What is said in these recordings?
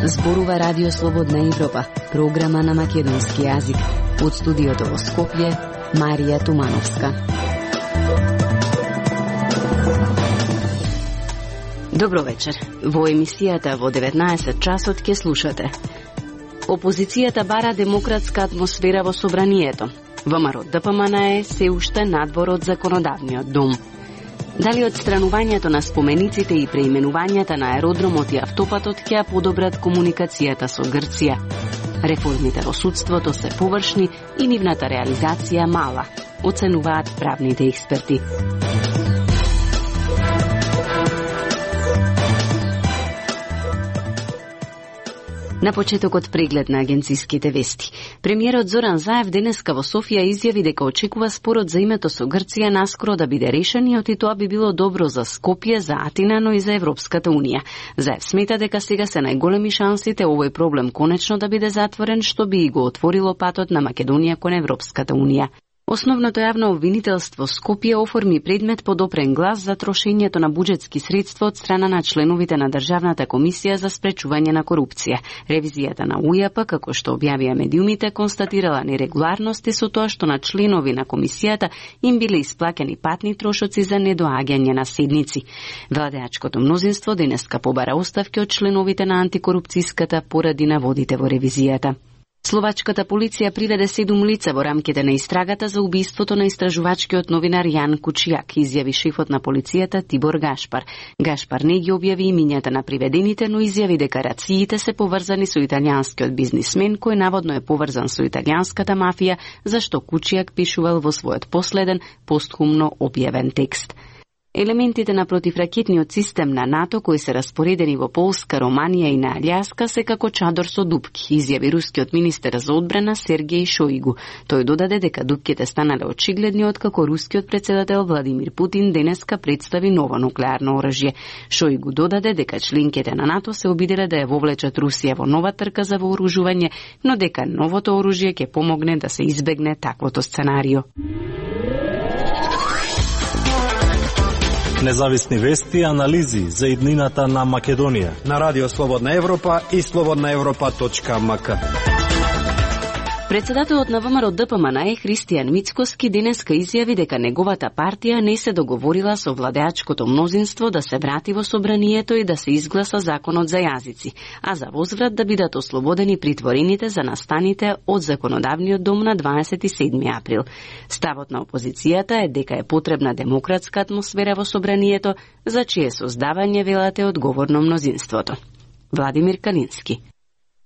Зборува Радио Слободна Европа, програма на македонски јазик. Од студиото во Скопје, Марија Тумановска. Добро вечер. Во емисијата во 19 часот ќе слушате. Опозицијата бара демократска атмосфера во собранието. ВМРО ДПМН е се уште надвор од законодавниот дом. Дали одстранувањето на спомениците и преименувањата на аеродромот и автопатот ќе ја подобрат комуникацијата со Грција? Реформите во судството се површни и нивната реализација мала, оценуваат правните експерти. На почетокот преглед на агенциските вести. Премиерот Зоран Заев денеска во Софија изјави дека очекува спорот за името со Грција наскоро да биде решен и тоа би било добро за Скопје, за Атина, но и за Европската унија. Заев смета дека сега се најголеми шансите овој проблем конечно да биде затворен, што би и го отворило патот на Македонија кон Европската унија. Основното јавно обвинителство Скопје оформи предмет под опрен глас за трошењето на буџетски средства од страна на членовите на Државната комисија за спречување на корупција. Ревизијата на УЈП, како што објавија медиумите, констатирала нерегуларности со тоа што на членови на комисијата им биле исплаќени патни трошоци за недоаѓање на седници. Владеачкото мнозинство денеска побара оставки од членовите на антикорупцијската поради наводите во ревизијата. Словачката полиција приведе 7 лица во рамките на истрагата за убиството на истражувачкиот новинар Јан Кучијак, изјави шефот на полицијата Тибор Гашпар. Гашпар не ги објави имињата на приведените, но изјави дека рациите се поврзани со италијанскиот бизнисмен кој наводно е поврзан со италијанската мафија, зашто Кучијак пишувал во својот последен постхумно објавен текст. Елементите на противракетниот систем на НАТО кои се распоредени во Полска, Романија и на Алјаска се како чадор со дупки, изјави рускиот министер за одбрана Сергеј Шојгу. Тој додаде дека дупките станале очигледни откако рускиот председател Владимир Путин денеска представи ново нуклеарно оружје. Шојгу додаде дека членките на НАТО се обиделе да ја вовлечат Русија во нова трка за вооружување, но дека новото оружје ќе помогне да се избегне таквото сценарио. Независни вести и анализи за иднината на Македонија на Радио Слободна Европа и slobodnaevropa.mk. Председателот на ВМРО ДПМН Христијан Мицкоски денеска изјави дека неговата партија не се договорила со владеачкото мнозинство да се врати во собранието и да се изгласа законот за јазици, а за возврат да бидат ослободени притворените за настаните од законодавниот дом на 27 април. Ставот на опозицијата е дека е потребна демократска атмосфера во собранието, за чие создавање велате одговорно мнозинството. Владимир Калински.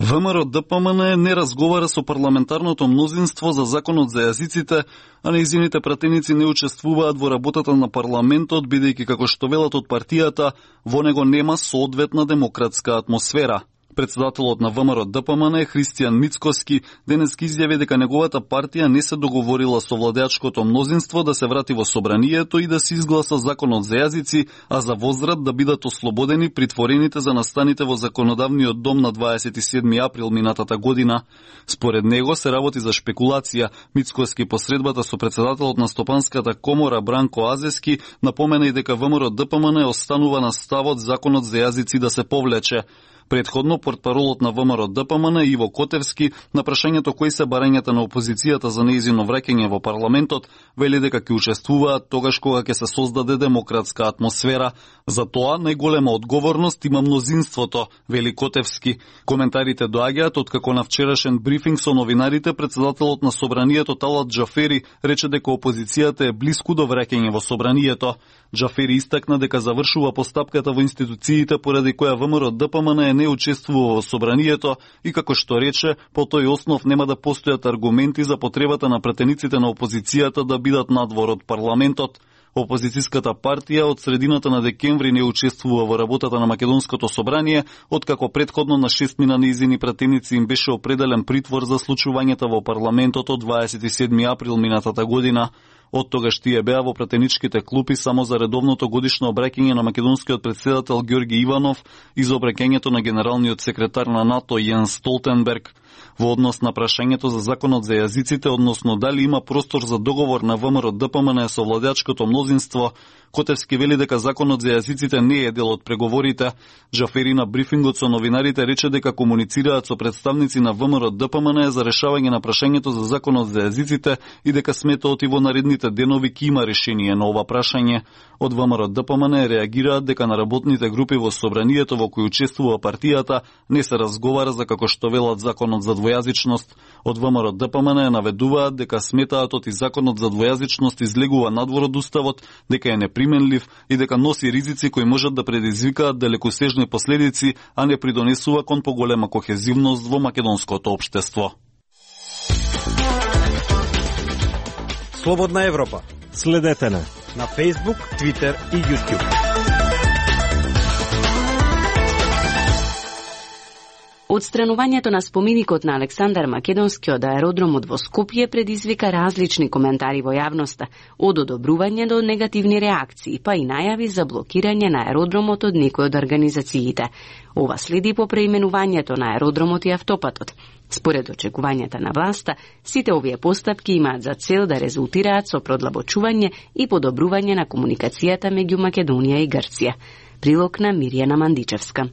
ВМРО ДПМН не разговара со парламентарното мнозинство за законот за јазиците, а нејзините пратеници не учествуваат во работата на парламентот, бидејќи како што велат од партијата, во него нема соодветна демократска атмосфера. Председателот на ВМРО ДПМН Христијан Мицкоски денес изјави дека неговата партија не се договорила со владеачкото мнозинство да се врати во собранието и да се изгласа законот за јазици, а за возврат да бидат ослободени притворените за настаните во законодавниот дом на 27 април минатата година. Според него се работи за шпекулација. Мицкоски по средбата со председателот на Стопанската комора Бранко Азески напомена и дека ВМРО ДПМН останува на ставот законот за јазици да се повлече. Предходно, портпаролот на ВМРО ДПМН Иво Котевски, на прашањето кои се барањата на опозицијата за нејзино враќање во парламентот, вели дека ќе учествуваат тогаш кога ќе се создаде демократска атмосфера. За тоа најголема одговорност има мнозинството, вели Котевски. Коментарите доаѓаат откако на вчерашен брифинг со новинарите председателот на собранието Талат Џафери рече дека опозицијата е блиску до враќање во собранието. Џафери истакна дека завршува постапката во институциите поради која ВМРО ДПМН не учествува во собранието и како што рече, по тој основ нема да постојат аргументи за потребата на пратениците на опозицијата да бидат надвор од парламентот. Опозицијската партија од средината на декември не учествува во работата на Македонското собрание, откако предходно на 6 нејзини пратеници им беше определен притвор за случувањата во парламентот од 27 април минатата година. Од тогаш тие беа во пратеничките клупи само за редовното годишно обраќање на македонскиот претседател Ѓорги Иванов и за обраќањето на генералниот секретар на НАТО Јенс Столтенберг. Во однос на прашањето за законот за јазиците, односно дали има простор за договор на ВМРО-ДПМН со владеачкото мнозинство, Котевски вели дека законот за јазиците не е дел од преговорите. Джафери на брифингот со новинарите рече дека комуницираат со представници на ВМРО-ДПМН за решавање на прашањето за законот за јазиците и дека сметаат и во наредните денови ќе има решение на ова прашање. Од ВМРО-ДПМН реагираат дека на работните групи во собранието во кои учествува партијата не се разговара за како што велат законот за двојазичност. Од ВМРО-ДПМН наведуваат дека сметаат и законот за двојазичност излегува надвор од уставот, дека е неприменлив и дека носи ризици кои можат да предизвикаат далекосежни последици, а не придонесува кон поголема кохезивност во македонското општество. Слободна Европа. Следете на Facebook, Twitter и YouTube. Отстранувањето на споменикот на Александар Македонски од аеродромот во Скопје предизвика различни коментари во јавноста, од одобрување до негативни реакции, па и најави за блокирање на аеродромот од некои од организациите. Ова следи по преименувањето на аеродромот и автопатот. Според очекувањата на власта, сите овие постапки имаат за цел да резултираат со продлабочување и подобрување на комуникацијата меѓу Македонија и Грција. Прилог на Мирјана Мандичевска.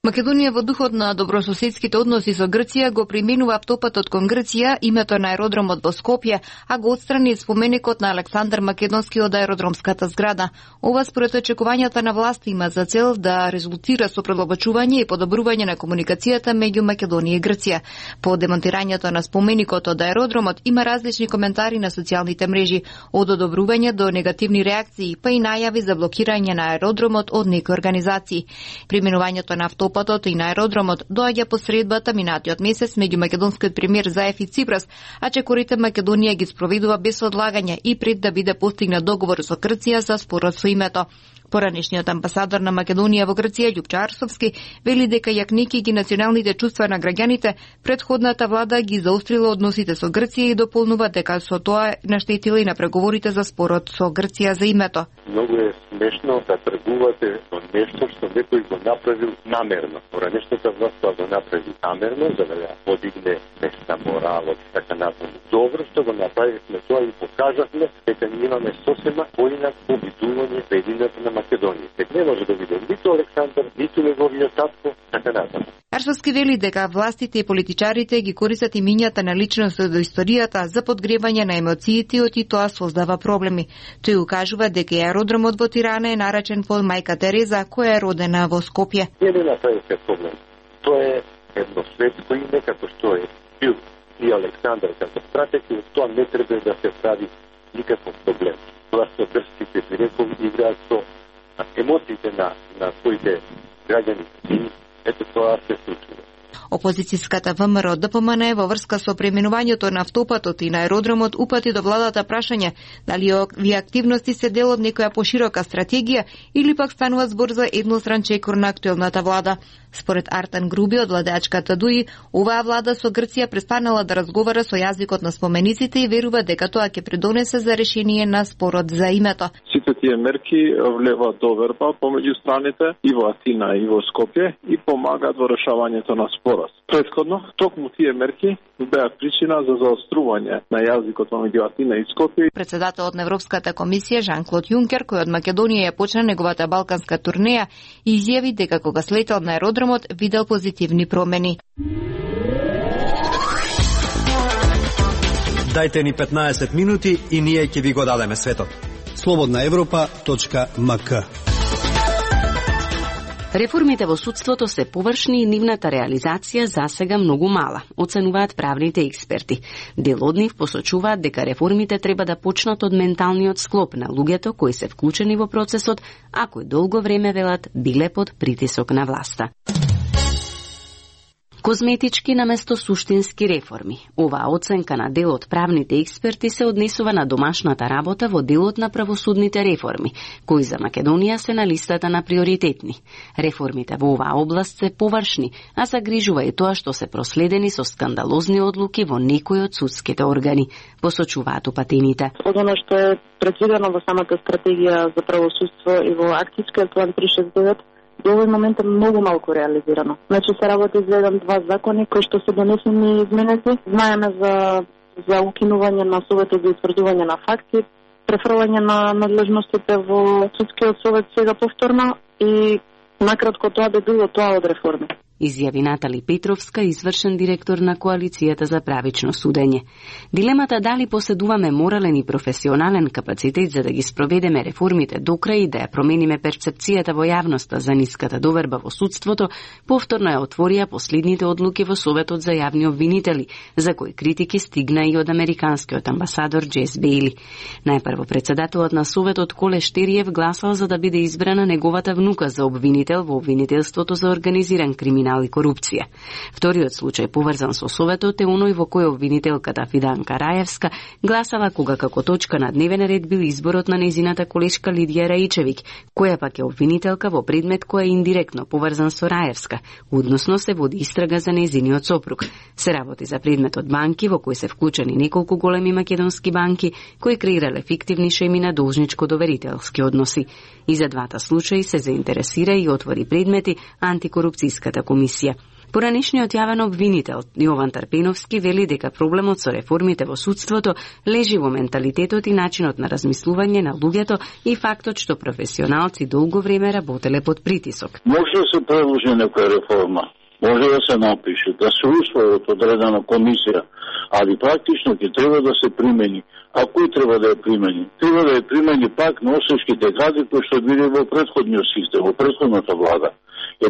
Македонија во духот на добрососедските односи со Грција го применува автопатот кон Грција, името на аеродромот во Скопје, а го отстрани споменикот на Александар Македонски од аеродромската зграда. Ова според очекувањата на власта има за цел да резултира со продлабочување и подобрување на комуникацијата меѓу Македонија и Грција. По демонтирањето на споменикот од аеродромот има различни коментари на социјалните мрежи, од одобрување до негативни реакции, па и најави за блокирање на аеродромот од некои организации. Применувањето на автопатот и на аеродромот доаѓа посредбата минатиот месец меѓу македонскиот премиер Заев и Ципрас, а чекорите Македонија ги спроведува без одлагање и пред да биде постигнат договор со Грција за спорот со името. Поранешниот амбасадор на Македонија во Грција, Љупчо Арсовски, вели дека јакнејќи ги националните чувства на граѓаните, претходната влада ги заострила односите со Грција и дополнува дека со тоа наштетила и на преговорите за спорот со Грција за името. Многу е смешно да тргувате со нешто што некој го направил намерно. Поранешната власт тоа го направи намерно, за да ја подигне нешта моралот и така натаму. Добро што го направивме тоа и покажавме дека ние имаме сосема поинак обидување во едината на Македонија. Дека не може да биде ниту Александар, ниту неговиот татко, така натаму. Арсовски вели дека властите и политичарите ги користат имињата на личности од историјата за подгревање на емоциите и тоа создава проблеми. Тој укажува дека аеродромот во Тирана е наречен по мајка Тереза, која е родена во Скопје. Не направите проблем. Тоа е едно светско име, како што е бил и Александар како стратег, и тоа не треба да се прави никаков проблем. Тоа со дрските прирекови играат со емоциите на своите граѓани и ето тоа се случува. Опозицијската ВМРО-ДПМН во врска со преименувањето на автопатот и на аеродромот упати до владата прашање дали овие активности се дел од некоја поширока стратегија или пак станува збор за едностран чекор на актуелната влада. Според Артан Груби од владеачката ДУИ, оваа влада со Грција престанала да разговара со јазикот на спомениците и верува дека тоа ќе придонесе за решение на спорот за името. Сите тие мерки влеваат доверба помеѓу страните и во Атина и во Скопје и помагаат во решавањето на спорот. Претходно, токму тие мерки беа причина за заострување на јазикот меѓу Атина и Скопје. Председателот на Европската комисија Жан-Клод Јункер, кој од Македонија ја почна неговата балканска турнеја, изјави дека кога слетел на аеродромот видел позитивни промени. Дајте ни 15 минути и ние ќе ви го дадеме светот. slobodnaevropa.mk. Реформите во судството се површни и нивната реализација засега многу мала, оценуваат правните експерти. Дел од нив посочуваат дека реформите треба да почнат од менталниот склоп на луѓето кои се вклучени во процесот, а кои долго време велат биле под притисок на власта. Козметички наместо суштински реформи. Оваа оценка на дел од правните експерти се однесува на домашната работа во делот на правосудните реформи, кои за Македонија се на листата на приоритетни. Реформите во оваа област се површни, а загрижува и тоа што се проследени со скандалозни одлуки во некои од судските органи, посочуваат упатените. Од оно што е предвидено во самата стратегија за правосудство и во акцијскиот план 369, до овој момент е многу малку реализирано. Значи се работи за еден-два закони кои што се донесени и изменети. Знаеме за укинување на Советот за утврдување на факти, префрлање на надлежностите во судскиот совет сега повторно и накратко тоа би било тоа од реформи. Изјави Натали Петровска, извршен директор на Коалицијата за правично судење. Дилемата дали поседуваме морален и професионален капацитет за да ги спроведеме реформите до крај и да ја промениме перцепцијата во јавноста за ниската доверба во судството, повторно ја отворија последните одлуки во Советот за јавни обвинители, за кои критики стигна и од американскиот амбасадор Джес Бейли. Најпрво председателот на Советот Коле Штериев гласал за да биде избрана неговата внука за обвинител во обвинителството за организиран криминал и корупција. Вториот случај поврзан со Советот е оној во кој обвинителката Фиданка Раевска гласала кога како точка на дневен ред бил изборот на незината колешка Лидија Раичевиќ, која пак е обвинителка во предмет кој е индиректно поврзан со Раевска, односно се води истрага за незиниот сопруг. Се работи за предметот банки во кој се вклучени неколку големи македонски банки кои креирале фиктивни шеми на должничко-доверителски односи. И за двата случаи се заинтересира и отвори предмети антикорупцијската комисија. Поранешниот јавен обвинител Јован Тарпеновски вели дека проблемот со реформите во судството лежи во менталитетот и начинот на размислување на луѓето и фактот што професионалци долго време работеле под притисок. Може да се предложи некоја реформа, може да се напише, да се усвои од одредена комисија, али практично ќе треба да се примени. А кој треба да ја примени? Треба да ја примени пак на осечките кадри кои што биле во претходниот систем, во претходната влада.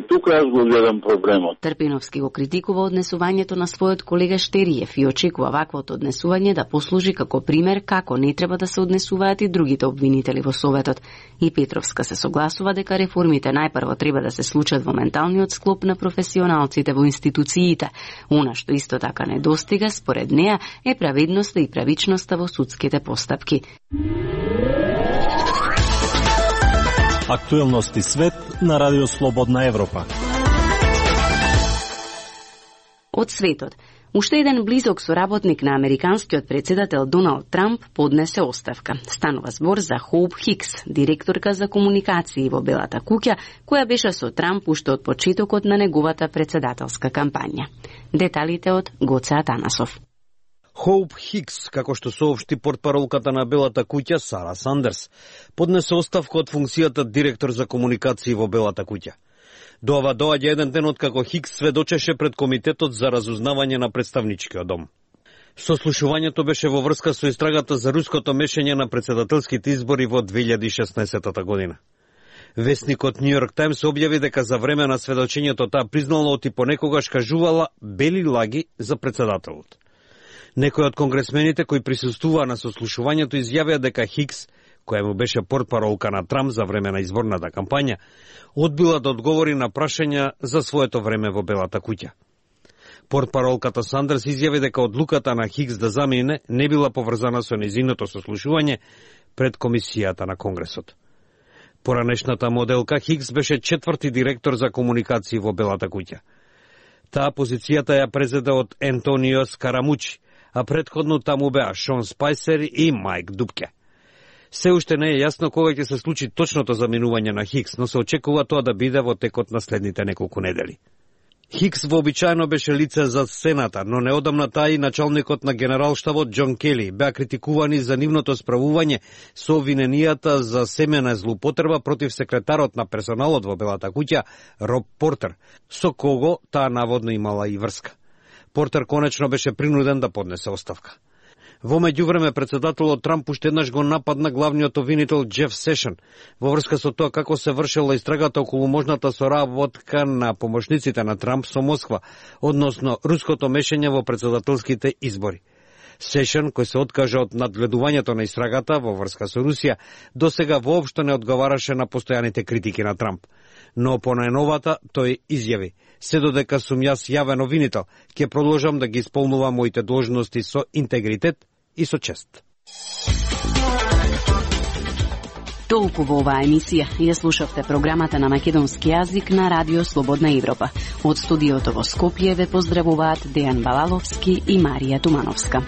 Тука јас го гледам проблемот. Тарпеновски го критикува однесувањето на својот колега Штериев и очекува ваквото однесување да послужи како пример како не треба да се однесуваат и другите обвинители во Советот. И Петровска се согласува дека реформите најпрво треба да се случат во менталниот склоп на професионалците во институциите. Она што исто така недостига, според неа, е праведноста и правичноста во судските постапки. Актуелности свет на Радио Слободна Европа. Од светот. Уште еден близок соработник на американскиот председател Доналд Трамп поднесе оставка. Станува збор за Хоуп Хикс, директорка за комуникации во Белата куќа, која беше со Трамп уште од почетокот на неговата председателска кампања. Деталите од Гоце Атанасов. Хоуп Хикс, како што соопшти портпаролката на Белата куќа Сара Сандерс, поднесе оставка од функцијата директор за комуникации во Белата куќа. До ова доаѓа еден ден откако Хикс сведочеше пред Комитетот за разузнавање на представничкиот дом. Сослушувањето беше во врска со истрагата за руското мешање на председателските избори во 2016 година. Весникот Нью Йорк Таймс објави дека за време на сведочењето таа признала оти понекогаш кажувала бели лаги за председателот. Некои од конгресмените кои присуствуваа на сослушувањето изјавија дека Хикс, која му беше портпаролка на Трамп за време на изборната кампања, одбила да одговори на прашања за своето време во Белата куќа. Портпаролката Сандерс изјави дека одлуката на Хикс да замине не била поврзана со нејзиното сослушување пред комисијата на Конгресот. Поранешната моделка Хикс беше четврти директор за комуникации во Белата куќа. Таа позицијата ја презеде од Ентонио Скарамучи, а предходно таму беа Шон Спајсер и Мајк Дупке. Се уште не е јасно кога ќе се случи точното заминување на Хикс, но се очекува тоа да биде во текот на следните неколку недели. Хикс вообичаено беше лице за сцената, но неодамна таа и началникот на генералштабот Џон Кели беа критикувани за нивното справување со обвиненијата за семена злоупотреба против секретарот на персоналот во Белата куќа Роб Портер, со кого таа наводно имала и врска. Портер конечно беше принуден да поднесе оставка. Во меѓувреме председателот Трамп уште еднаш го нападна главниот обвинител Џеф Сешен во врска со тоа како се вршела истрагата околу можната соработка на помошниците на Трамп со Москва, односно руското мешање во председателските избори. Сешен, кој се откажа од надгледувањето на истрагата во врска со Русија, досега воопшто не одговараше на постојаните критики на Трамп. Но по најновата тој изјави: се додека сум јас јавен обвинител, ќе продолжам да ги исполнувам моите должности со интегритет и со чест. Толку во оваа емисија. Ја слушавте програмата на македонски јазик на Радио Слободна Европа. Од студиото во Скопје ве поздравуваат Дејан Балаловски и Марија Тумановска.